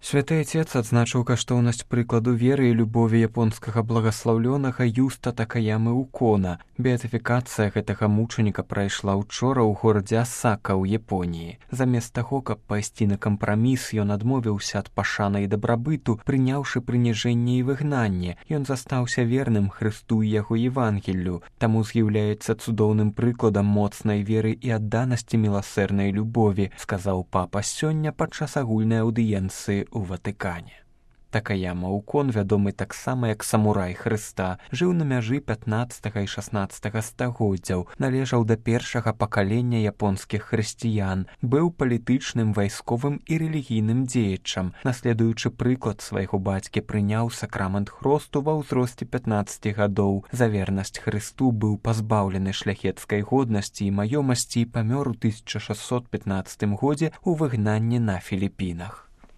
Святы Отец адзначыў каштоўнасць прыкладу веры і любові японскага благаслаўлёнага Юста Такаямы Укона. Беатыфікацыя гэтага мучаніка прайшла учора ў горадзе Асака ў Японіі. Замест таго, каб пайсці на кампраміс, ён адмовіўся ад пашаны і дабрабыту, прыняўшы прыніжэнне і выгнанне. Ён застаўся верным Хрысту і яго Евангеллю, таму з'яўляецца цудоўным прыкладам моцнай веры і адданасці міласэрнай любові, сказаў папа сёння падчас агульнай аўдыенцыі у Ватыкане. Такаяма Укон, вядомы таксама як самурай Хрыста, жыў на мяжы 15 і 16 стагоддзяў, належаў да першага пакалення японскіх хрысціян, быў палітычным, вайсковым і рэлігійным дзеячам. Наследуючы прыклад свайго бацькі, прыняў сакрамент хросту ва ўзросце 15 гадоў. За вернасць Хрысту быў пазбаўлены шляхецкай годнасці і маёмасці і памёр у 1615 годзе ў выгнанні на Філіпінах.